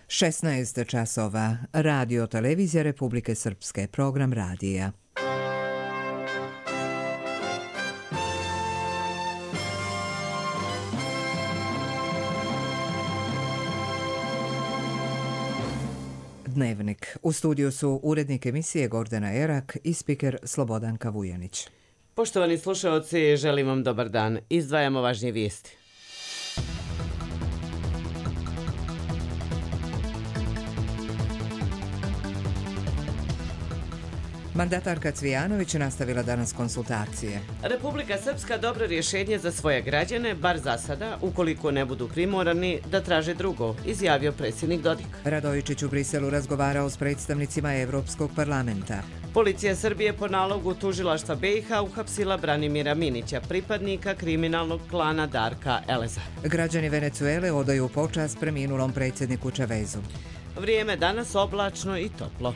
16 časova. Radio Televizija Republike Srpske. Program radija. Dnevnik. U studiju su urednik emisije Gordana Erak i spiker Slobodanka Vujanić. Poštovani slušalci, želim vam dobar dan. Izdvajamo važnije vijesti. Mandatarka Cvijanović nastavila danas konsultacije. Republika Srpska dobro rješenje za svoje građane, bar za sada, ukoliko ne budu primorani da traže drugo, izjavio predsjednik Dodik. Radojičić u Briselu razgovarao s predstavnicima Evropskog parlamenta. Policija Srbije po nalogu tužilaštva BiH uhapsila Branimira Minića, pripadnika kriminalnog klana Darka Eleza. Građani Venecuele odaju počast preminulom predsjedniku Čavezu. Vrijeme danas oblačno i toplo.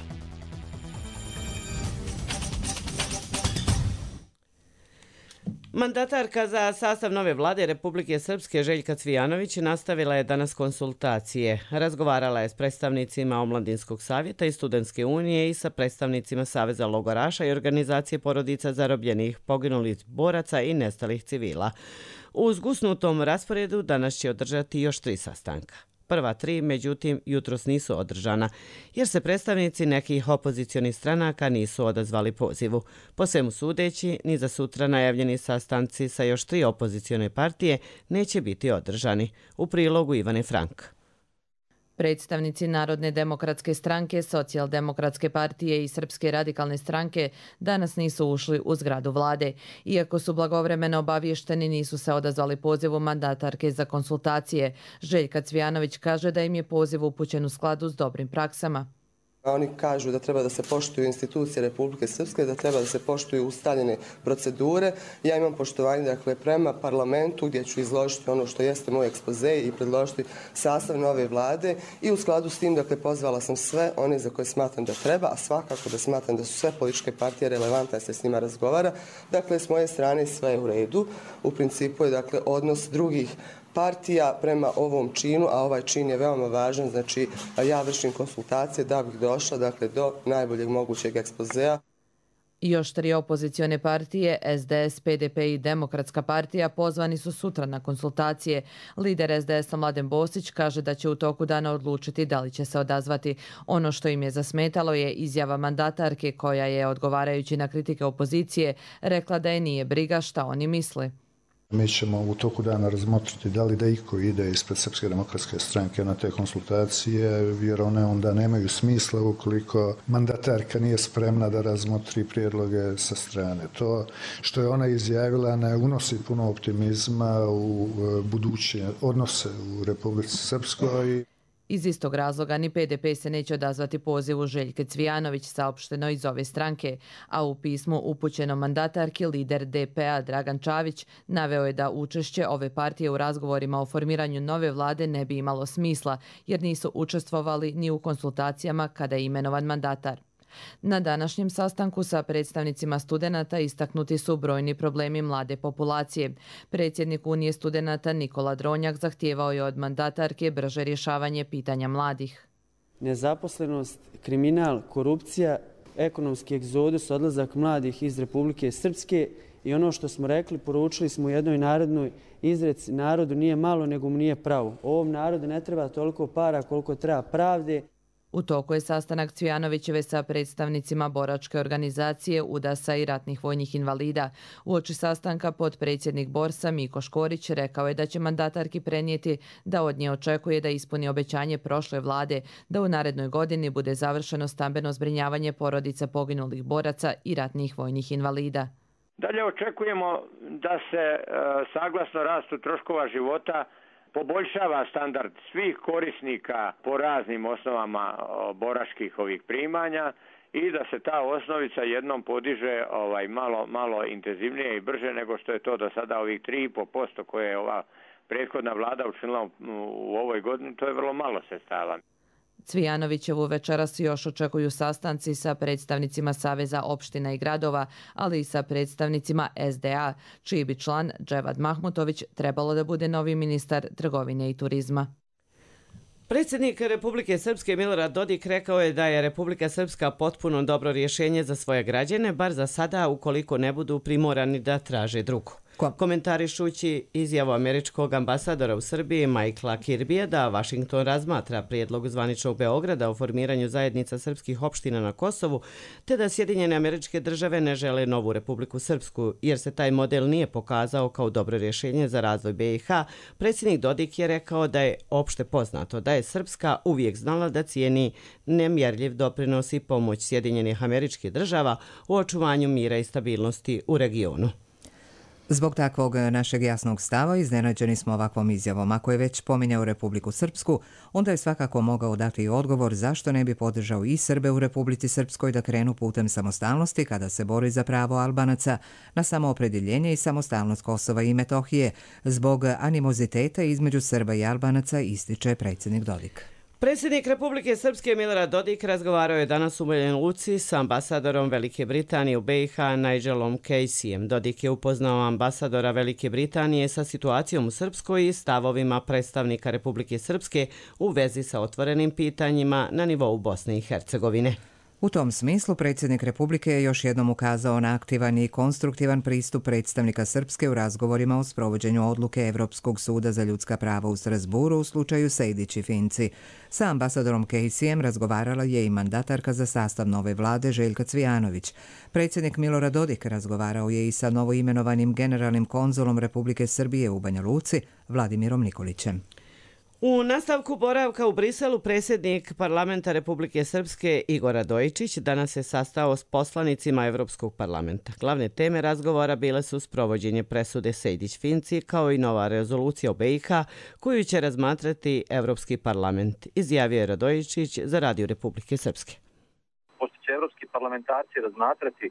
Mandatarka za sastav nove vlade Republike Srpske Željka Cvijanović nastavila je danas konsultacije. Razgovarala je s predstavnicima Omladinskog savjeta i Studentske unije i sa predstavnicima Saveza logoraša i organizacije porodica zarobljenih, poginulih boraca i nestalih civila. U zgusnutom rasporedu danas će održati još 3 sastanka. Prva 3, međutim, jutros nisu održana, jer se predstavnici nekih opozicionih stranaka nisu odazvali pozivu. Po svemu sudeći, ni za sutra najavljeni sastanci sa još 3 opozicione partije neće biti održani. U prilogu Ivane Frank. Predstavnici Narodne demokratske stranke, Socijaldemokratske partije i Srpske radikalne stranke danas nisu ušli u zgradu vlade. Iako su blagovremeno obavješteni, nisu se odazvali pozivu mandatarke za konsultacije. Željka Cvijanović kaže da im je poziv upućen u skladu s dobrim praksama. Oni kažu da treba da se poštuju institucije Republike Srpske, da treba da se poštuju ustaljene procedure. Ja imam poštovanje prema parlamentu gdje ću izložiti ono što jeste moj ekspoze i predložiti sastav nove vlade i u skladu s tim pozvala sam sve one za koje smatram da treba, a svakako da smatram da su sve političke partije relevantne da se s njima razgovara. Dakle, s moje strane sve je u redu. U principu je odnos drugih partija prema ovom činu, a ovaj čin je veoma važan, znači ja vršim konsultacije da bih došla do najboljeg mogućeg ekspozea. Još 3 opozicione partije, SDS, PDP i Demokratska partija, pozvani su sutra na konsultacije. Lider SDS-a Mladen Bosić kaže da će u toku dana odlučiti da li će se odazvati. Ono što im je zasmetalo je izjava mandatarke koja je, odgovarajući na kritike opozicije, rekla da je nije briga šta oni misle. Mi ćemo u toku dana razmotriti da li da iko ide ispred Srpske demokratske stranke na te konsultacije, jer one onda nemaju smisla ukoliko mandatarka nije spremna da razmotri prijedloge sa strane. To što je ona izjavila ne unosi puno optimizma u buduće odnose u Republici Srpskoj. Iz istog razloga ni PDP se neće odazvati pozivu Željke Cvijanović, saopšteno iz ove stranke, a u pismu upućenom mandatarki lider DP-a Dragan Čavić naveo je da učešće ove partije u razgovorima o formiranju nove vlade ne bi imalo smisla, jer nisu učestvovali ni u konsultacijama kada je imenovan mandatar. Na današnjem sastanku sa predstavnicima studenata istaknuti su brojni problemi mlade populacije. Predsjednik Unije studenata Nikola Dronjak zahtijevao je od mandatarke brže rješavanje pitanja mladih. Nezaposlenost, kriminal, korupcija, ekonomski egzodus, odlazak mladih iz Republike Srpske i ono što smo rekli, poručili smo u jednoj narodnoj izreci, narodu nije malo nego mu nije pravo. Ovom narodu ne treba toliko para koliko treba pravde. U toku je sastanak Cvijanovićeve sa predstavnicima boračke organizacije UDAS-a i ratnih vojnih invalida. Uoči sastanka potpredsjednik Borsa Miko Škorić rekao je da će mandatarki prenijeti da od nje očekuje da ispuni obećanje prošle vlade, da u narednoj godini bude završeno stambeno zbrinjavanje porodica poginulih boraca i ratnih vojnih invalida. Dalje očekujemo da se saglasno rastu troškova života poboljšava standard svih korisnika po raznim osnovama boračkih ovih primanja i da se ta osnovica jednom podiže malo intenzivnije i brže nego što je to do sada ovih 3,5% koje je ova prethodna vlada učinila u ovoj godini. To je vrlo malo sredstava. Cvijanovićevu večeras još očekuju sastanci sa predstavnicima Saveza opština i gradova, ali i sa predstavnicima SDA, čiji bi član Dževad Mahmutović trebalo da bude novi ministar trgovine i turizma. Predsjednik Republike Srpske Milorad Dodik rekao je da je Republika Srpska potpuno dobro rješenje za svoje građane, bar za sada ukoliko ne budu primorani da traže drugo. Komentarišući izjavu američkog ambasadora u Srbiji Michaela Kirbija da Washington razmatra prijedlog zvaničnog Beograda o formiranju zajednica srpskih opština na Kosovu, te da Sjedinjene Američke Države ne žele novu Republiku Srpsku, jer se taj model nije pokazao kao dobro rješenje za razvoj BiH, predsjednik Dodik je rekao da je opšte poznato da je Srpska uvijek znala da cijeni nemjerljiv doprinos i pomoć Sjedinjenih Američkih Država u očuvanju mira i stabilnosti u regionu. Zbog takvog našeg jasnog stava iznenađeni smo ovakvom izjavom. Ako je već pominjao Republiku Srpsku, onda je svakako mogao dati odgovor zašto ne bi podržao i Srbe u Republici Srpskoj da krenu putem samostalnosti kada se bori za pravo Albanaca na samoopredjeljenje i samostalnost Kosova i Metohije. Zbog animoziteta između Srba i Albanaca, ističe predsjednik Dodik. Predsjednik Republike Srpske Milorad Dodik razgovarao je danas u Banja Luci sa ambasadorom Velike Britanije u BiH Nigelom Caseyem. Dodik je upoznao ambasadora Velike Britanije sa situacijom u Srpskoj i stavovima predstavnika Republike Srpske u vezi sa otvorenim pitanjima na nivou Bosne i Hercegovine. U tom smislu predsjednik Republike je još jednom ukazao na aktivan i konstruktivan pristup predstavnika Srpske u razgovorima o sprovođenju odluke Evropskog suda za ljudska prava u Strasburu u slučaju Sejdić i Finci. Sa ambasadorom Caseyem razgovarala je i mandatarka za sastav nove vlade Željka Cvijanović. Predsjednik Milorad Dodik razgovarao je i sa novoimenovanim generalnim konzulom Republike Srbije u Banja Luci Vladimirom Nikolićem. U nastavku boravka u Briselu predsjednik parlamenta Republike Srpske Igor Radojičić danas se sastao s poslanicima Evropskog parlamenta. Glavne teme razgovora bile su sprovođenje presude Sejdić-Finci kao i nova rezolucija o BiH koju će razmatrati Evropski parlament, izjavio je Radojičić za Radio Republike Srpske. Pošto će evropski parlamentarci razmatrati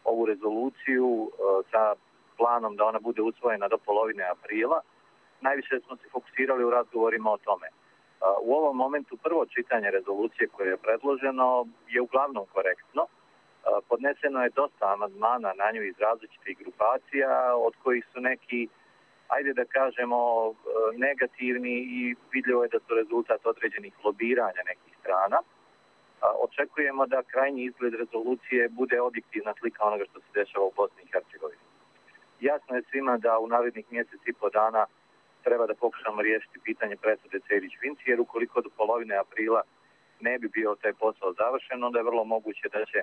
ovu rezoluciju sa planom da ona bude usvojena do polovine aprila, najviše smo se fokusirali u razgovorima o tome. U ovom momentu prvo čitanje rezolucije koje je predloženo je uglavnom korektno. Podneseno je dosta amandmana na nju iz različitih grupacija, od kojih su neki, ajde da kažemo, negativni i vidljivo je da su rezultat određenih lobiranja nekih strana. Očekujemo da krajnji izgled rezolucije bude objektivna slika onoga što se dešava u Bosni i Hercegovini. Jasno je svima da u narednih mjesec i po dana treba da pokušamo riješiti pitanje presude Sejdić-Finci, jer ukoliko do polovine aprila ne bi bio taj posao završen, onda je vrlo moguće da će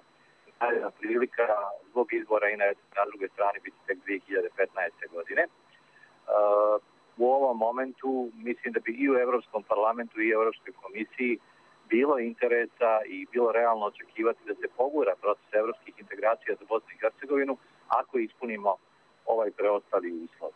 naredna prilika zbog izbora i na drugoj strani biti tek 2015. godine. U ovom momentu mislim da bi i u Evropskom parlamentu i Evropskoj komisiji bilo interesa i bilo realno očekivati da se pogura proces evropskih integracija za Bosnu i Hercegovinu ako ispunimo ovaj preostali uslov.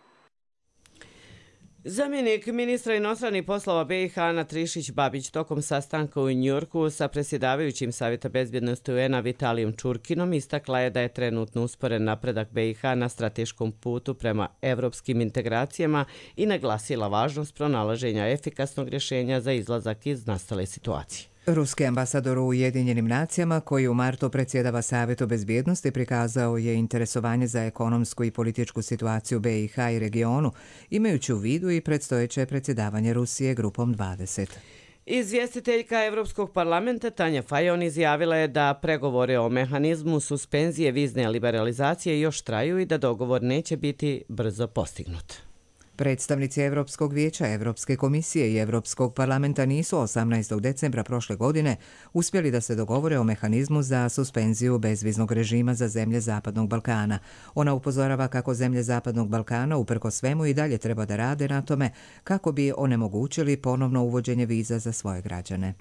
Zamjenik ministra inostranih poslova BiH Ana Trišić-Babić tokom sastanka u Njujorku sa predsjedavajućim Savjeta bezbjednosti UN-a Vitalijom Čurkinom istakla je da je trenutno usporen napredak BiH na strateškom putu prema evropskim integracijama i naglasila važnost pronalaženja efikasnog rješenja za izlazak iz nastale situacije. Ruski ambasador u Ujedinjenim nacijama, koji u martu predsjedava Savjetu bezbjednosti, prikazao je interesovanje za ekonomsku i političku situaciju BiH i regionu, imajući u vidu i predstojeće predsjedavanje Rusije grupom 20. Izvjestiteljka Evropskog parlamenta Tanja Fajon izjavila je da pregovore o mehanizmu suspenzije vizne liberalizacije još traju i da dogovor neće biti brzo postignut. Predstavnici Evropskog vijeća, Evropske komisije i Evropskog parlamenta nisu 18. decembra prošle godine uspjeli da se dogovore o mehanizmu za suspenziju bezviznog režima za zemlje Zapadnog Balkana. Ona upozorava kako zemlje Zapadnog Balkana uprkos svemu i dalje treba da rade na tome kako bi onemogućili ponovno uvođenje viza za svoje građane.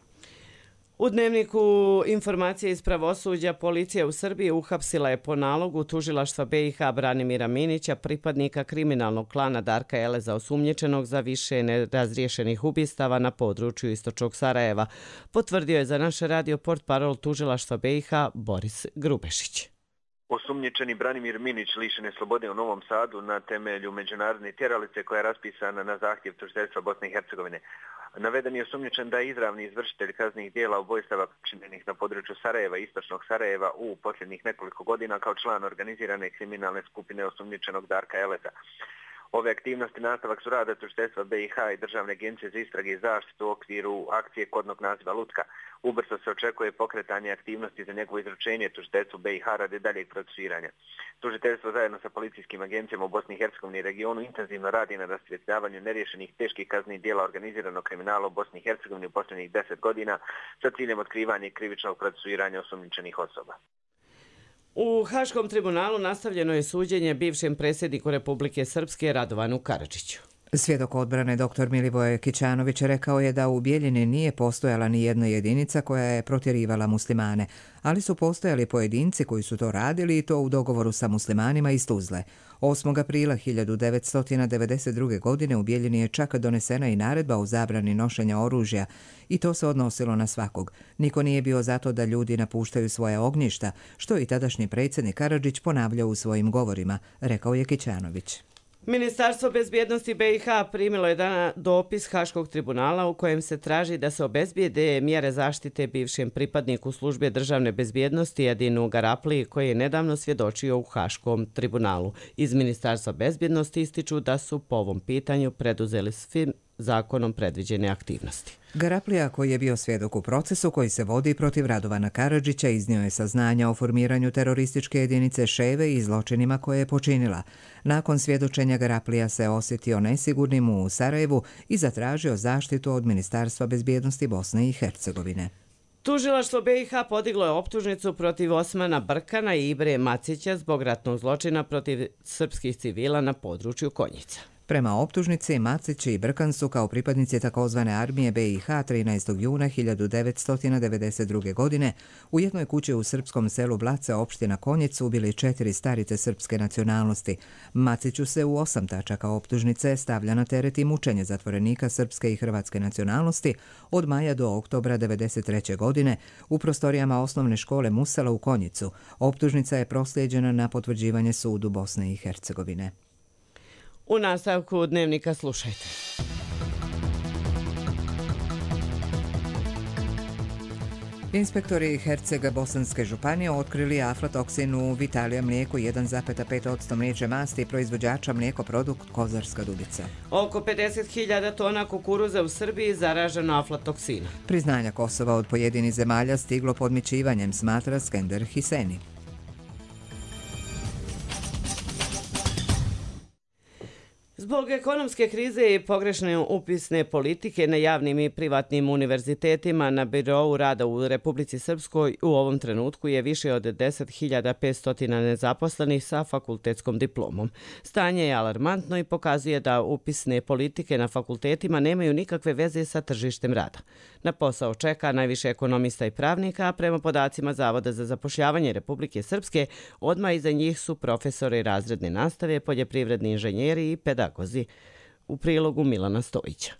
U dnevniku informacije iz pravosuđa policija u Srbiji uhapsila je po nalogu tužilaštva BiH Branimira Minića, pripadnika kriminalnog klana Darka Eleza, osumnjičenog za više nerazriješenih ubistava na području istočnog Sarajeva, potvrdio je za naš radio portparol tužilaštva BiH Boris Grubešić. Osumnjičeni Branimir Minić lišen je slobode u Novom Sadu na temelju međunarodne tjeralice koja je raspisana na zahtjev tužiteljstva Bosne i Hercegovine. Naveden je osumnjičen da je izravni izvršitelj kaznenih djela ubojstava počinjenih na području Sarajeva i istočnog Sarajeva u posljednjih nekoliko godina kao član organizirane kriminalne skupine osumnjičenog Darka Eleza. Ove aktivnosti nastavak su rada tužiteljstva BiH i Državne agencije za istrage i zaštitu u okviru akcije kodnog naziva Lutka. Ubrzo se očekuje pokretanje aktivnosti za njegovo izručenje tužiteljstvu BiH radi daljeg procesuiranja. Tužiteljstvo zajedno sa policijskim agencijama u Bosni i Hercegovini i regionu intenzivno radi na rasvjetljavanju neriješenih teških kaznenih djela organiziranog kriminala u Bosni i Hercegovini u posljednjih 10 godina sa ciljem otkrivanja i krivičnog procesuiranja osumnjičenih osoba. U Haškom tribunalu nastavljeno je suđenje bivšem predsjedniku Republike Srpske Radovanu Karadžiću. Svjedok odbrane dr. Milivoje Kićanović rekao je da u Bijeljini nije postojala ni jedna jedinica koja je protjerivala muslimane, ali su postojali pojedinci koji su to radili i to u dogovoru sa muslimanima iz Tuzle. 8. aprila 1992. godine u Bijeljini je čak donesena i naredba o zabrani nošenja oružja i to se odnosilo na svakog. Niko nije bio zato da ljudi napuštaju svoje ognjišta, što i tadašnji predsjednik Karadžić ponavljao u svojim govorima, rekao je Kićanović. Ministarstvo bezbjednosti BiH primilo je dopis Haškog tribunala u kojem se traži da se obezbijede mjere zaštite bivšem pripadniku službe državne bezbjednosti Edinu Garapliji koji je nedavno svjedočio u Haškom tribunalu. Iz Ministarstva bezbjednosti ističu da su po ovom pitanju preduzeli svim zakonom predviđene aktivnosti. Garaplija, koji je bio svjedok u procesu koji se vodi protiv Radovana Karadžića, iznio je saznanja o formiranju terorističke jedinice Ševe i zločinima koje je počinila. Nakon svjedočenja Garaplija se osjetio nesigurnim u Sarajevu i zatražio zaštitu od Ministarstva bezbjednosti Bosne i Hercegovine. Tužilaštvo BiH podiglo je optužnicu protiv Osmana Brkana i Ibre Macića zbog ratnog zločina protiv srpskih civila na području Konjica. Prema optužnici, Macić i Brkan su kao pripadnici takozvane armije BiH 13. juna 1992. godine u jednoj kući u srpskom selu Blace, opština Konjic, ubili 4 starice srpske nacionalnosti. Maciću se u 8 tačaka optužnice stavlja na teret i mučenje zatvorenika srpske i hrvatske nacionalnosti od maja do oktobra 1993. godine u prostorijama osnovne škole Musela u Konjicu. Optužnica je proslijeđena na potvrđivanje sudu Bosne i Hercegovine. U nastavku dnevnika slušajte. Inspektori Hercega-Bosanske županije otkrili aflatoksin u Vitalija mlijeku 1,5% mliječne masti i proizvođača mlijekoprodukt Kozarska Dubica. Oko 50.000 tona kukuruza u Srbiji zaraženo aflatoksinom. Priznanja Kosova od pojedinih zemalja stiglo podmićivanjem, smatra Skender Hiseni. Zbog ekonomske krize i pogrešne upisne politike na javnim i privatnim univerzitetima na birou rada u Republici Srpskoj u ovom trenutku je više od 10.500 nezaposlenih sa fakultetskom diplomom. Stanje je alarmantno i pokazuje da upisne politike na fakultetima nemaju nikakve veze sa tržištem rada. Na posao čeka najviše ekonomista i pravnika, a prema podacima Zavoda za zapošljavanje Republike Srpske, odmah iza njih su profesori razredne nastave, poljoprivredni inženjeri i pedagozi. U prilogu Milana Stojića.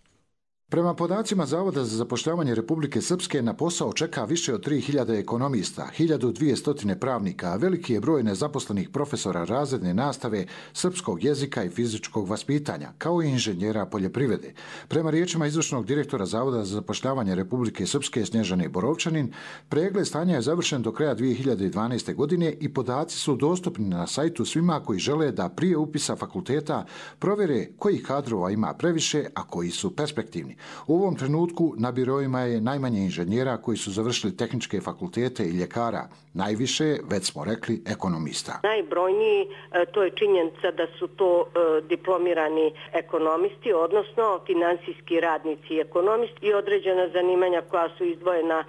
Prema podacima Zavoda za zapošljavanje Republike Srpske na posao čeka više od 3.000 ekonomista, 1.200 pravnika, a veliki je broj nezaposlenih profesora razredne nastave, srpskog jezika i fizičkog vaspitanja, kao i inženjera poljoprivrede. Prema riječima izvršnog direktora Zavoda za zapošljavanje Republike Srpske Snježane Borovčanin, pregled stanja je završen do kraja 2012. godine i podaci su dostupni na sajtu svima koji žele da prije upisa fakulteta provjere kojih kadrova ima previše, a koji su perspektivni. U ovom trenutku na biroima je najmanje inženjera koji su završili tehničke fakultete i ljekara. Najviše, već smo rekli, ekonomista. Najbrojniji, to je činjenica da su to diplomirani ekonomisti, odnosno finansijski radnici i ekonomisti i određena zanimanja koja su izdvojena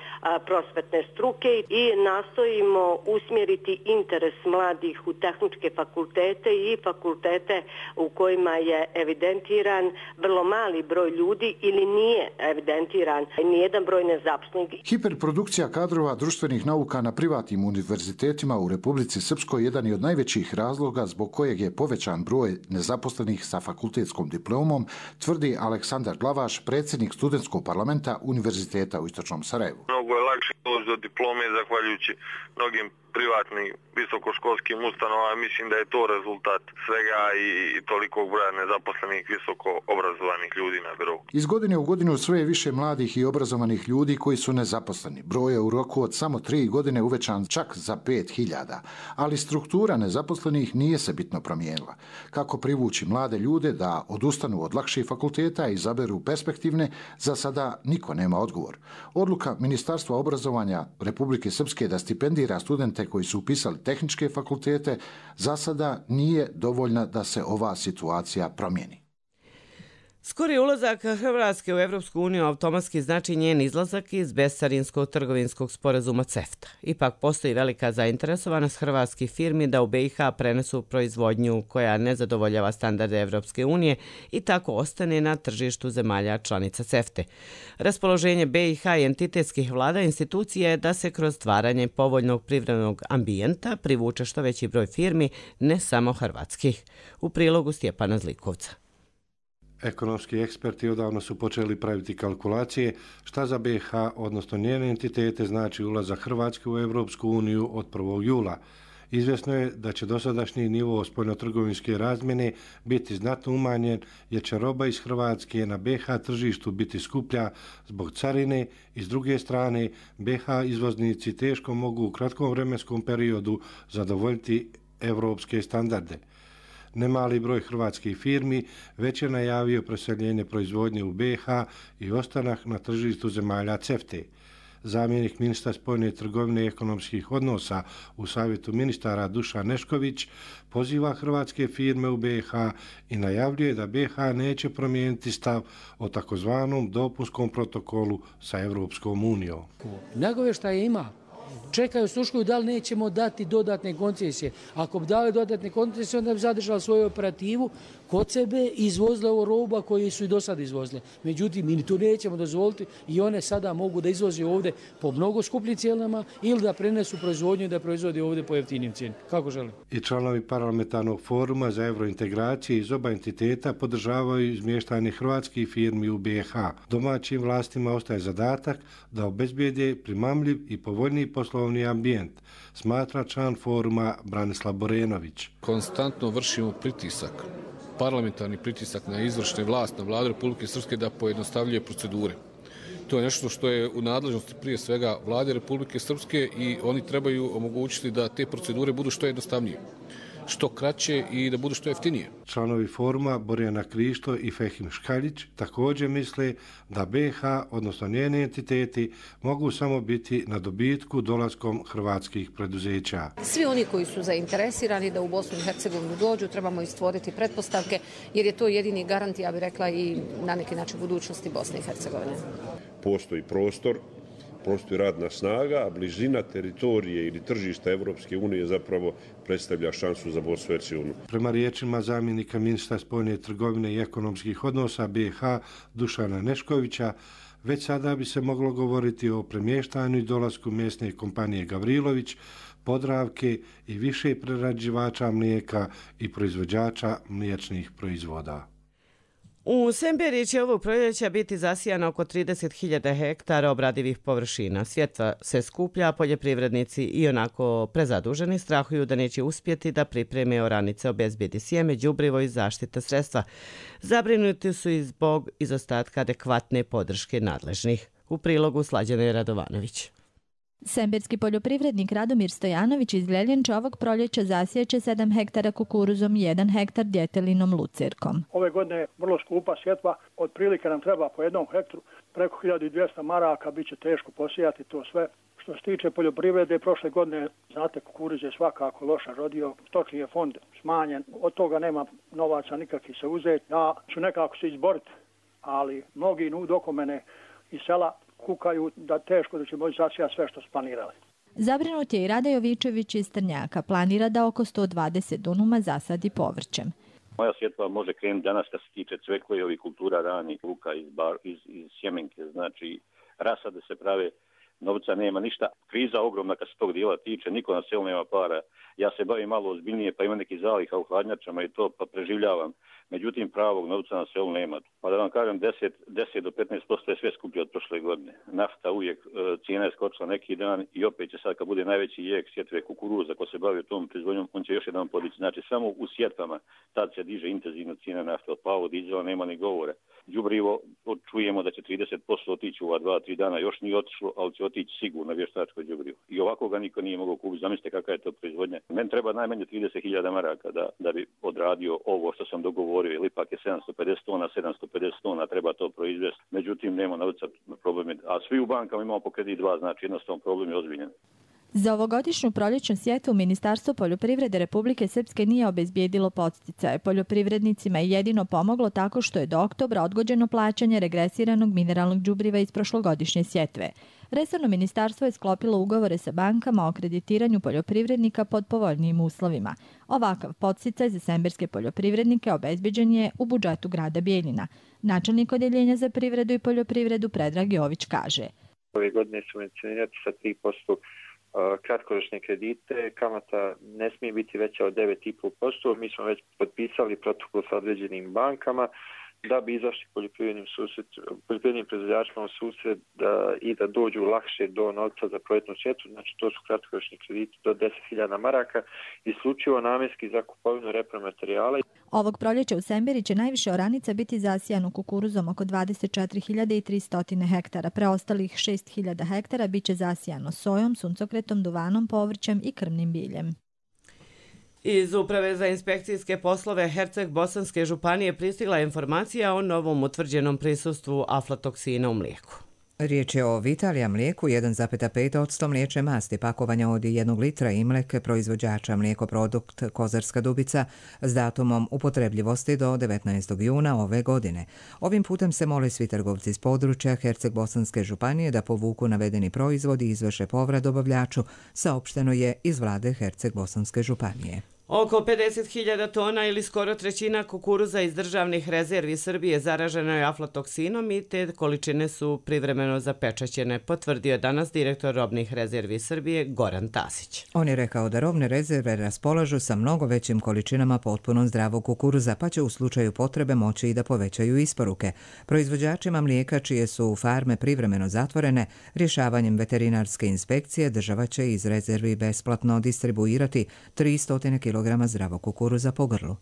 prosvetne struke i nastojimo usmjeriti interes mladih u tehničke fakultete i fakultete u kojima je evidentiran vrlo mali broj ljudi ili nije evidentiran nijedan broj nezaposlenih. Hiperprodukcija kadrova društvenih nauka na privatnim univerzitetima u Republici Srpskoj jedan je od najvećih razloga zbog kojeg je povećan broj nezaposlenih sa fakultetskom diplomom, tvrdi Aleksandar Glavaš, predsjednik studentskog parlamenta Univerziteta u Istočnom Sarajevu. mnogo je lakše doći do diplome zahvaljujući mnogim privatnim visokoškolskim ustanovama. Mislim da je to rezultat svega i tolikog broja nezaposlenih visoko obrazovanih ljudi na birou. Iz godine u godinu sve je više mladih i obrazovanih ljudi koji su nezaposleni. Broj je u roku od samo 3 godine uvećan čak za 5.000, ali struktura nezaposlenih nije se bitno promijenila. Kako privući mlade ljude da odustanu od lakših fakulteta i izaberu perspektivne, za sada niko nema odgovor. Odluka Ministarstva obrazovanja Republike Srpske da stipendira studente koji su upisali tehničke fakultete za sada nije dovoljna da se ova situacija promijeni. Skori ulazak Hrvatske u Evropsku uniju automatski znači njen izlazak iz bescarinskog trgovinskog sporazuma CEFTA. Ipak postoji velika zainteresovanost hrvatskih firmi da u BiH prenesu proizvodnju koja ne zadovoljava standarde Evropske unije i tako ostane na tržištu zemalja članica CEFTA. Raspoloženje BiH i entitetskih vlada institucije je da se kroz stvaranje povoljnog privrednog ambijenta privuče što veći broj firmi, ne samo hrvatskih. U prilogu Stjepana Zlikovca. Ekonomski eksperti odavno su počeli praviti kalkulacije šta za BiH, odnosno njene entitete, znači ulazak Hrvatske u Evropsku uniju od 1. jula. Izvjesno je da će dosadašnji nivo spoljnotrgovinske razmjene biti znatno umanjen jer će roba iz Hrvatske na BiH tržištu biti skuplja zbog carine i s druge strane BiH izvoznici teško mogu u kratkom vremenskom periodu zadovoljiti evropske standarde. Nemali broj hrvatskih firmi već je najavio preseljenje proizvodnje u BiH i ostanak na tržištu zemalja CEFTA. Zamjenik ministra spoljne trgovine i ekonomskih odnosa u Savjetu ministara Dušan Nešković poziva hrvatske firme u BiH i najavljuje da BiH neće promijeniti stav o takozvanom dopunskom protokolu sa Evropskom unijom. Nagovještaje ima. Čekaju, sluškuju da li nećemo dati dodatne koncesije. Ako bi dali dodatne koncesije, onda bi zadržali svoju operativu kod sebe i izvozile ovo roba koje su i do sada izvozile. Međutim, mi to nećemo dozvoliti i one sada mogu da izvoze ovdje po mnogo skupljim cijenama ili da prenesu proizvodnju i da proizvode ovdje po jeftinim cijenama. Kako žele? I članovi parlamentarnog foruma za eurointegracije iz oba entiteta podržavaju izmještanje hrvatskih firmi u BiH. Domaćim vlastima ostaje zadatak da obezbijede primamljiv i povoljniji poslovni ambijent, smatra član foruma Branislav Borenović. Konstantno vršimo pritisak, parlamentarni pritisak na izvršne vlast, na vladu Republike Srpske da pojednostavljuje procedure. To je nešto što je u nadležnosti prije svega vlade Republike Srpske i oni trebaju omogućiti da te procedure budu što jednostavnije, što kraće i da budu što jeftinije. Članovi foruma Borjana Krišto i Fehim Škaljić također misle da BiH, odnosno njene entiteti, mogu samo biti na dobitku dolaskom hrvatskih preduzeća. Svi oni koji su zainteresirani da u Bosnu i Hercegovinu dođu, trebamo i stvoriti pretpostavke, jer je to jedini garant, ja bih rekla, i na neki način budućnosti Bosne i Hercegovine. Postoji prostor, postoji radna snaga, a blizina teritorije ili tržišta Evropske unije zapravo predstavlja šansu za Bosnu i Hercegovinu. Prema riječima zamjenika ministra spoljne trgovine i ekonomskih odnosa BiH Dušana Neškovića, već sada bi se moglo govoriti o premještanju i dolasku mjesne kompanije Gavrilović, Podravke i više prerađivača mlijeka i proizvođača mliječnih proizvoda. U Semberiji će ovog proljeća biti zasijano oko 30.000 hektara obradivih površina. Svjetva se skuplja, poljoprivrednici i onako prezaduženi strahuju da neće uspjeti da pripreme oranice, obezbijedi sjeme, đubrivo i zaštita sredstva. Zabrinuti su i zbog izostatka adekvatne podrške nadležnih. U prilogu Slađana Radovanović. Semberski poljoprivrednik Radomir Stojanović iz Gljeljenča ovog proljeća zasijeće 7 hektara kukuruzom i 1 hektar djetelinom lucirkom. Ove godine je vrlo skupa sjetva, otprilike nam treba po jednom hektaru preko 1200 maraka, bit će teško posijati to sve. Što se tiče poljoprivrede, prošle godine, znate, kukuruz je svakako loša rodio, stočni je fond smanjen, od toga nema novaca nikakvih se uzeti. Ja ću nekako se izboriti, ali mnogi oko mene iz sela kukaju da teško da će moći zasijati sve što su planirali. Zabrinut je i Rada Jovičević iz Trnjaka. Planira da oko 120 dunuma zasadi povrćem. Moja sjetva može krenuti danas kad se tiče cvekle i ovih kultura ranih luka iz sjemenke. Znači, rasade se prave, novca nema ništa. Kriza ogromna kad se tog dijela tiče, niko na selu nema para. Ja se bavim malo ozbiljnije, pa imam neki zaliha u hladnjačama i to, pa preživljavam. Međutim, pravog novca na selu nema. Pa da vam kažem, 10 do 15% je sve skuplje od prošle godine. Nafta uvijek, cijena je skočila neki dan i opet će sad kad bude najveći jek sjetve kukuruza, ko se bavi tom proizvodnjom, on će još jedan podići. Znači, samo u sjetvama tad se diže intenzivno cijena nafta. Od plavog dizela nema ni govore. Đubrivo, čujemo da će 30% otići u ova 2-3 dana, još nije otišlo, ali će otići sigurno vještačko đubrivo. I ovako ga niko nije mogao kupiti. Zamislite kakva je to proizvodnja. Meni treba najmanje 30.000 maraka da bi odradio ovo što sam dogovorio, ili ipak je 750 tona, treba to proizvesti. Međutim, nema novca, problem je. A svi u bankama imamo po kredit 2, znači jednostavno problem je ozbiljan. Za ovogodišnju proljećnu sjetvu Ministarstvo poljoprivrede Republike Srpske nije obezbijedilo podsticaje. Poljoprivrednicima je jedino pomoglo tako što je do oktobra odgođeno plaćanje regresiranog mineralnog đubriva iz prošlogodišnje sjetve. Resorno ministarstvo je sklopilo ugovore sa bankama o kreditiranju poljoprivrednika pod povoljnijim uslovima. Ovakav podsticaj za semberske poljoprivrednike obezbeđen je u budžetu grada Bijeljina. Načelnik Odjeljenja za privredu i poljoprivredu Predrag Jović kaže: Ove godine subvencionirati sa 3% kratkoročne kredite, kamata ne smije biti veća od 9,5%. Mi smo već potpisali protokol sa određenim bankama da bi izašli poljoprivrednim proizvođačima u susret i da dođu lakše do novca za projektnu sjetvu. Znači, to su kratkoročni krediti do 10.000 maraka, isključivo namjenski za kupovinu repromaterijala. Ovog proljeća u Semberi će najviše oranica biti zasijano kukuruzom, oko 24.300 hektara. Preostalih 6.000 hektara bit će zasijano sojom, suncokretom, duvanom, povrćem i krmnim biljem. Iz Uprave za inspekcijske poslove Herceg-Bosanske županije pristigla informacija o novom utvrđenom prisustvu aflatoksina u mlijeku. Riječ je o Vitalija mlijeku 1,5% mliječne masti pakovanja od 1 litra Imlek proizvođača mlijekoprodukt Kozarska Dubica s datumom upotrebljivosti do 19. juna ove godine. Ovim putem se mole svi trgovci iz područja Herceg-Bosanske županije da povuku navedeni proizvod i izvrše povrat dobavljaču, saopšteno je iz vlade Herceg-Bosanske županije. Oko 50.000 tona ili skoro trećina kukuruza iz državnih rezervi Srbije zaraženo je aflatoksinom i te količine su privremeno zapečaćene, potvrdio je danas direktor robnih rezervi Srbije Goran Tasić. On je rekao da robne rezerve raspolažu sa mnogo većim količinama potpuno zdravog kukuruza, pa će u slučaju potrebe moći i da povećaju isporuke. Proizvođačima mlijeka čije su farme privremeno zatvorene, rješavanjem veterinarske inspekcije država će iz rezervi besplatno distribuirati 300 kg zdravog kukuruza po grlu.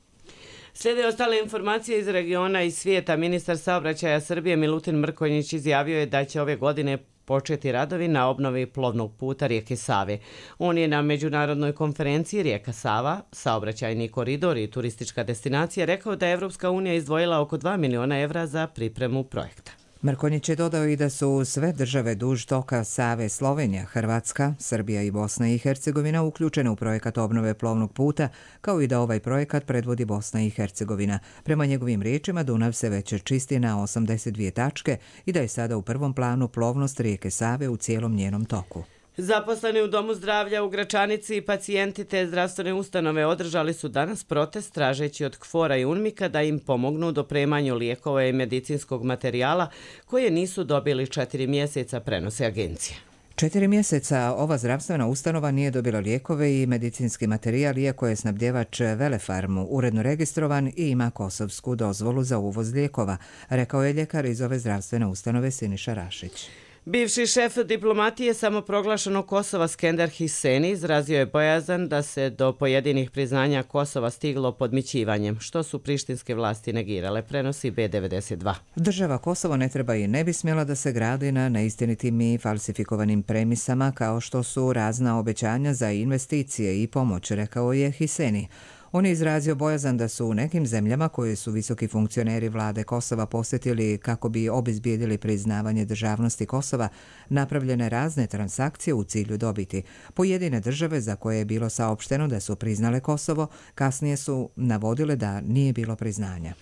Slijede ostale informacije iz regiona i svijeta. Ministar saobraćaja Srbije Milutin Mrkonjić izjavio je da će ove godine početi radovi na obnovi plovnog puta rijeke Save. On je na međunarodnoj konferenciji Rijeka Sava, saobraćajni koridor i turistička destinacija rekao da je Evropska unija izdvojila oko 2 miliona evra za pripremu projekta. Mrkonjić je dodao i da su sve države duž toka Save, Slovenija, Hrvatska, Srbija i Bosna i Hercegovina uključene u projekat obnove plovnog puta, kao i da ovaj projekat predvodi Bosna i Hercegovina. Prema njegovim riječima, Dunav se već čisti na 82 tačke i da je sada u prvom planu plovnost rijeke Save u cijelom njenom toku. Zaposleni u Domu zdravlja u Gračanici i pacijenti te zdravstvene ustanove održali su danas protest tražeći od KFOR-a i UNMIK-a da im pomognu u dopremanju lijekova i medicinskog materijala koje nisu dobili 4 mjeseca, prenose agencije. 4 mjeseca ova zdravstvena ustanova nije dobila lijekove i medicinski materijal, iako je snabdjevač Velefarmu uredno registrovan i ima kosovsku dozvolu za uvoz lijekova, rekao je ljekar iz ove zdravstvene ustanove Siniša Rašić. Bivši šef diplomatije samoproglašenog Kosova Skender Hiseni izrazio je bojazan da se do pojedinih priznanja Kosova stiglo podmićivanjem, što su prištinske vlasti negirale, prenosi B92. Država Kosovo ne treba i ne bi smjela da se gradi na neistinitim i falsifikovanim premisama kao što su razna obećanja za investicije i pomoć, rekao je Hiseni. On je izrazio bojazan da su u nekim zemljama koje su visoki funkcioneri vlade Kosova posjetili kako bi obezbijedili priznavanje državnosti Kosova napravljene razne transakcije u cilju dobiti. Pojedine države za koje je bilo saopšteno da su priznale Kosovo, kasnije su navodile da nije bilo priznanja.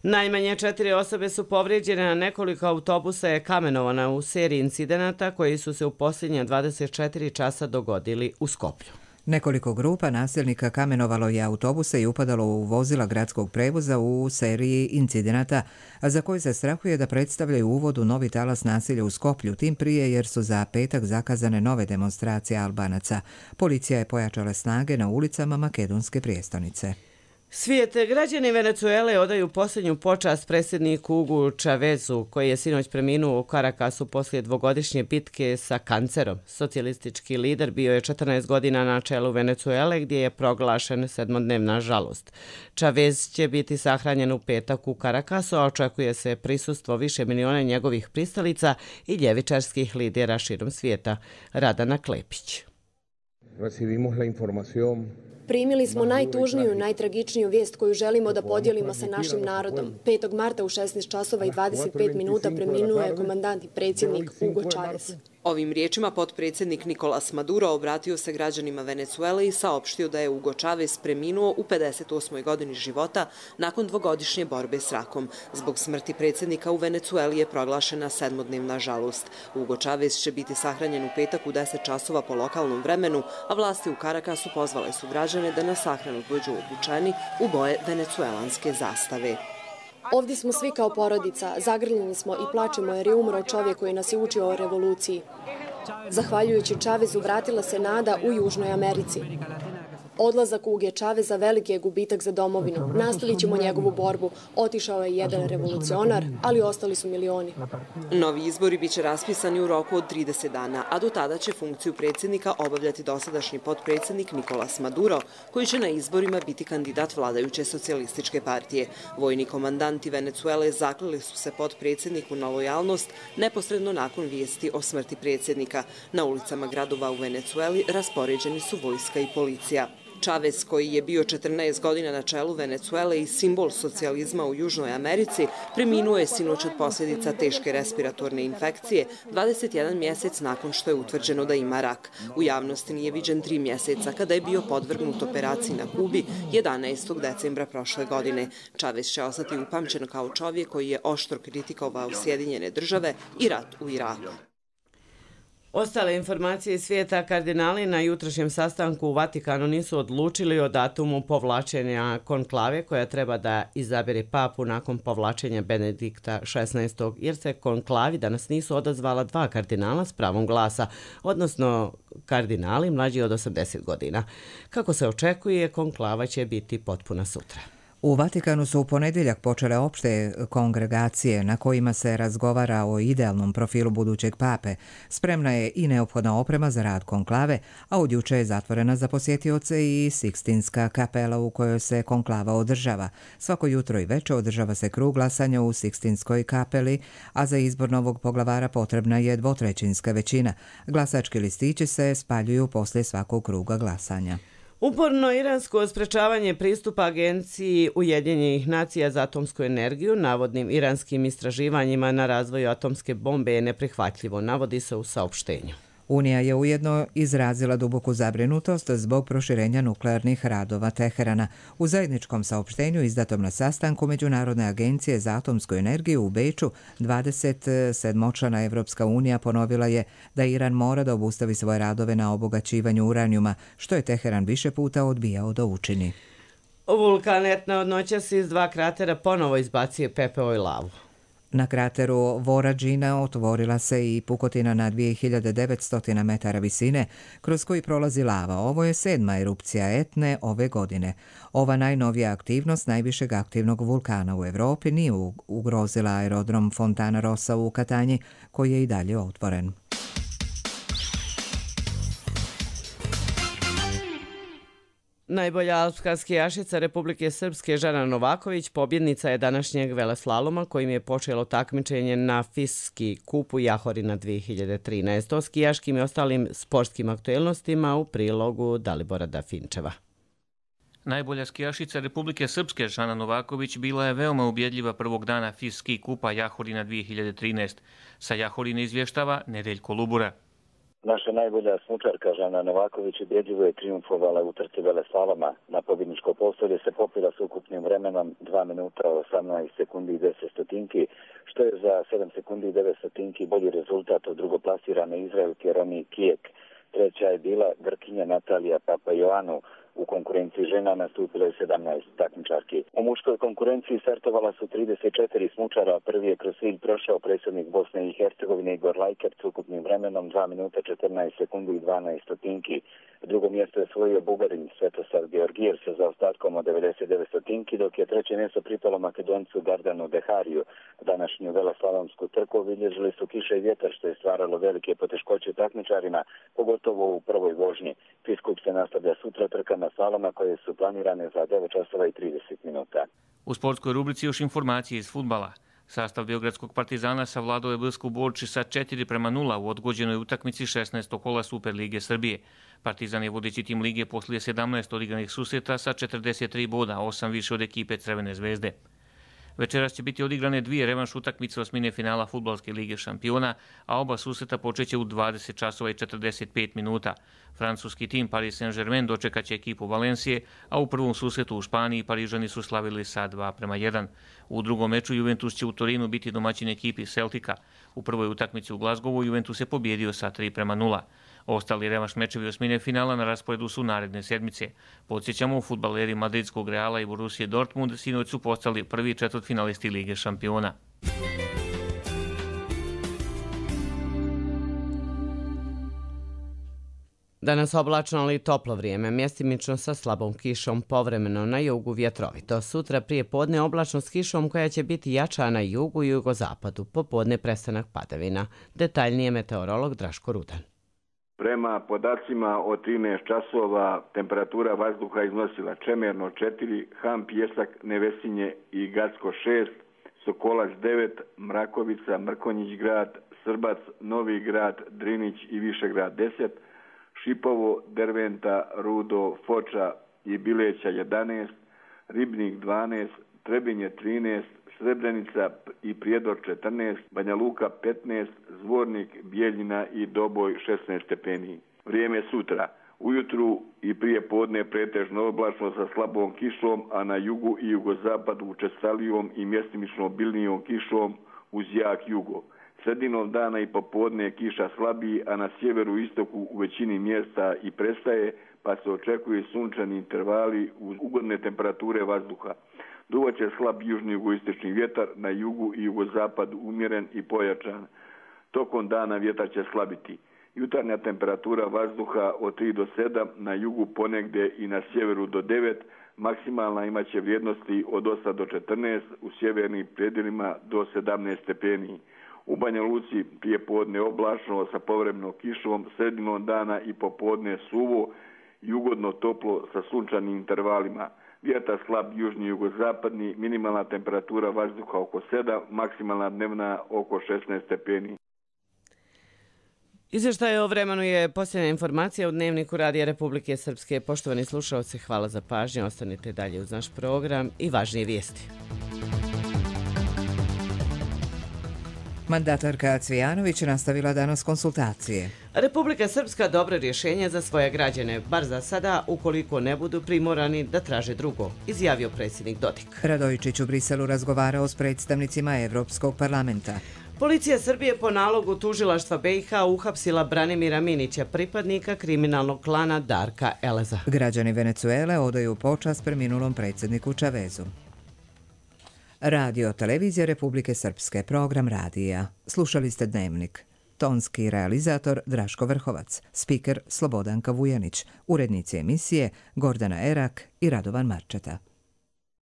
Najmanje 4 osobe su povrijeđene, a nekoliko autobusa je kamenovana u seriji incidenata koji su se u posljednje 24 časa dogodili u Skoplju. Nekoliko grupa nasilnika kamenovalo je autobuse i upadalo u vozila gradskog prevoza u seriji incidenata, za koji se strahuje da predstavljaju uvod u novi talas nasilja u Skoplju, tim prije jer su za petak zakazane nove demonstracije Albanaca. Policija je pojačala snage na ulicama makedonske prijestolnice. Svijet, građani Venecuele odaju posljednju počast predsjedniku Hugu Chavezu, koji je sinoć preminuo u Carakasu poslije dvogodišnje bitke sa kancerom. Socijalistički lider bio je 14 godina na čelu Venecuele, gdje je proglašen sedmodnevna žalost. Chavez će biti sahranjen u petak u Carakasu, a očekuje se prisustvo više miliona njegovih pristalica i ljevičarskih lidera širom svijeta. Radana Klepić. Primili smo najtužniju, najtragičniju vijest koju želimo da podijelimo sa našim narodom. 5. marta u 16 časova i 25 minuta preminuo je komandant i predsjednik Hugo Chávez. Ovim riječima potpredsjednik Nicolás Maduro obratio se građanima Venecuele i saopštio da je Hugo Chávez preminuo u 58. godini života nakon dvogodišnje borbe s rakom. Zbog smrti predsjednika u Venecueli je proglašena sedmodnevna žalost. Hugo Chávez će biti sahranjen u petak u 10 časova po lokalnom vremenu, a vlasti u Carakasu pozvale su građane da na sahranu dođu obučeni u boje venecuelanske zastave. Ovdje smo svi kao porodica, zagrljeni smo i plačemo jer je umro čovjek koji nas je učio o revoluciji. Zahvaljujući Chavezu vratila se nada u Južnoj Americi. Odlazak Huge Chaveza veliki je gubitak za domovinu. Nastavit ćemo njegovu borbu. Otišao je jedan revolucionar, ali ostali su milioni. Novi izbori biće raspisani u roku od 30 dana, a do tada će funkciju predsjednika obavljati dosadašnji potpredsjednik Nicolás Maduro, koji će na izborima biti kandidat vladajuće socijalističke partije. Vojni komandanti Venecuele zakleli su se potpredsjedniku na lojalnost neposredno nakon vijesti o smrti predsjednika. Na ulicama gradova u Venecueli raspoređeni su vojska i policija. Chávez, koji je bio 14 godina na čelu Venecuele i simbol socijalizma u Južnoj Americi, preminuo je sinoć od posljedica teške respiratorne infekcije 21 mjesec nakon što je utvrđeno da ima rak. U javnosti nije viđen 3 mjeseca kada je bio podvrgnut operaciji na Kubi 11. decembra prošle godine. Chávez će ostati upamćen kao čovjek koji je oštro kritikovao Sjedinjene države i rat u Iraku. Ostale informacije iz svijeta, kardinali na jutrošnjem sastanku u Vatikanu nisu odlučili o datumu povlačenja konklave koja treba da izabere papu nakon povlačenja Benedikta XVI. Jer se konklavi danas nisu odazvala 2 kardinala s pravom glasa, odnosno kardinali mlađi od 80 godina. Kako se očekuje, konklava će biti potpuna sutra. U Vatikanu su u ponedjeljak počele opšte kongregacije na kojima se razgovara o idealnom profilu budućeg pape. Spremna je i neophodna oprema za rad konklave, a od juče je zatvorena za posjetioce i Sikstinska kapela u kojoj se konklava održava. Svako jutro i večer održava se krug glasanja u Sikstinskoj kapeli, a za izbor novog poglavara potrebna je 2/3 većina. Glasački listići se spaljuju poslije svakog kruga glasanja. Uporno iransko sprečavanje pristupa Agenciji Ujedinjenih nacija za atomsku energiju navodnim iranskim istraživanjima na razvoju atomske bombe je neprihvatljivo, navodi se u saopštenju. Unija je ujedno izrazila duboku zabrinutost zbog proširenja nuklearnih radova Teherana. U zajedničkom saopštenju izdatom na sastanku Međunarodne agencije za atomsku energiju u Beču 27-člana Evropska unija ponovila je da Iran mora da obustavi svoje radove na obogaćivanju uranijuma, što je Teheran više puta odbijao da učini. Vulkan Etna od noćas iz 2 kratera ponovo izbacio pepeo i lavu. Na krateru Vorađina otvorila se i pukotina na 2900 metara visine, kroz koji prolazi lava. Ovo je 7. erupcija Etne ove godine. Ova najnovija aktivnost najvišeg aktivnog vulkana u Evropi nije ugrozila aerodrom Fontana Rossa u Katanji, koji je i dalje otvoren. Najbolja alpska skijašica Republike Srpske Žana Novaković pobjednica je današnjeg veleslaloma kojim je počelo takmičenje na FIS kupu Jahorina 2013. O skijaškim i ostalim sportskim aktuelnostima u prilogu Dalibora Dafinčeva. Najbolja skijašica Republike Srpske Žana Novaković bila je veoma ubjedljiva prvog dana FIS kupa Jahorina 2013. Sa Jahorina izvještava Nedeljko Lubura. Naša najbolja smučarka Žana Novaković ubjedljivo je trijumfovala u trci veleslaloma. Na pobjedničko postolje se popila s ukupnim vremenom 2 minuta 18 sekundi i 10 stotinki, što je za 7 sekundi i 9 stotinki bolji rezultat od drugoplasirane Izraelke Roni Kijek. Treća je bila Grkinja Natalija Papajoanu. U konkurenciji žena nastupilo je 17 takmičarki. U muškoj konkurenciji startovala su 34 smučara. Prvi je kroz cilj prošao predsjednik Bosne i Hercegovine Igor Lajkert s ukupnim vremenom 2 minuta 14 sekundi i 12 stotinki. Drugo mjesto je osvojio Bugarin Svetosar Georgijev sa zaostatkom od 99 stotinki, dok je treće mjesto pripalo Makedoncu Gardanu Dehariju. Današnju veleslalomsku trku obilježili su kiša i vjetar, što je stvaralo velike poteškoće takmičarima, pogotovo u prvoj vožnji. FIS Kup se nastavlja sutra trkama slaloma koje su planirane za 9 časova i 30 minuta. U sportskoj rubrici još informacije iz fudbala. Sastav Beogradskog Partizana savladao je Brsku Borči sa 4:0 u odgođenoj utakmici 16. kola Super Lige Srbije. Partizan je vodeći tim lige poslije 17 odigranih susreta sa 43 boda, 8 više od ekipe Crvene zvezde. Večeras će biti odigrane 2 revanš utakmice osmine finala Fudbalske lige šampiona, a oba susreta počeće u 20 časova i 45 minuta. Francuski tim Paris Saint-Germain dočekaće ekipu Valencije, a u prvom susretu u Španiji Parižani su slavili sa 2:1. U drugom meču Juventus će u Torinu biti domaćin ekipi Celtica. U prvoj utakmici u Glazgovu Juventus je pobjedio sa 3:0. Ostali revanš mečevi osmine finala na rasporedu su naredne sedmice. Podsjećamo, fudbaleri Madridskog Reala i Borusije Dortmund sinoć su postali prvi četvrtfinalisti Lige šampiona. Danas oblačno ali toplo vrijeme, mjestimično sa slabom kišom, povremeno na jugu vjetrovito. Sutra prije podne oblačno s kišom koja će biti jača na jugu i jugozapadu, popodne prestanak padavina. Detaljnije meteorolog Draško Rudan. Prema podacima od 13 časova temperatura vazduha iznosila Čemerno 4, Han, Pjesak, Nevesinje i Gacko 6, Sokolac 9, Mrakovica, Mrkonjić grad, Srbac, Novi grad, Drinić i Višegrad 10, Šipovo, Derventa, Rudo, Foča i Bileća 11, Ribnik 12, Trebinje 13, Srebrenica i Prijedor 14, Banja Luka 15, Zvornik, Bijeljina i Doboj 16 stepeni. Vrijeme sutra. Ujutru i prije podne pretežno oblačno sa slabom kišom, a na jugu i jugozapadu učestalijom i mjestimično obilnijom kišom uz jak jugo. Sredinom dana i popodne kiša slabiji, a na sjeveru i istoku u većini mjesta i prestaje, pa se očekuju sunčani intervali uz ugodne temperature vazduha. Duvaće slab južni jugoistočni vjetar, na jugu i jugozapadu umjeren i pojačan. Tokom dana vjetar će slabiti. Jutarnja temperatura vazduha od 3 do 7, na jugu ponegdje i na sjeveru do 9, maksimalna imaće vrijednosti od 8 do 14, u sjevernim predjelima do 17 stepeni. U Banja Luci prije podne oblačno sa povremenom kišom, sredinom dana i popodne suvo i ugodno toplo sa sunčanim intervalima. Vjetar slab južni jugozapadni, minimalna temperatura vazduha oko 7, maksimalna dnevna oko 16 stepeni. Izvještaj o vremenu je posljednja informacija u Dnevniku Radija Republike Srpske. Poštovani slušalci, hvala za pažnju. Ostanite dalje uz naš program i važnije vijesti. Mandatarka Cvijanović nastavila danas konsultacije. Republika Srpska dobro rješenje za svoje građane, bar za sada, ukoliko ne budu primorani da traže drugo, izjavio predsjednik Dodik. Radojičić u Briselu razgovarao s predstavnicima Evropskog parlamenta. Policija Srbije po nalogu tužilaštva BiH uhapsila Branimira Minića, pripadnika kriminalnog klana Darka Eleza. Građani Venecuele odaju počast preminulom predsjedniku Čavezu. Radio Televizija Republike Srpske, program radija. Slušali ste Dnevnik. Tonski realizator Draško Vrhovac, spiker Slobodanka Vujanić, urednici emisije Gordana Erak i Radovan Marčeta.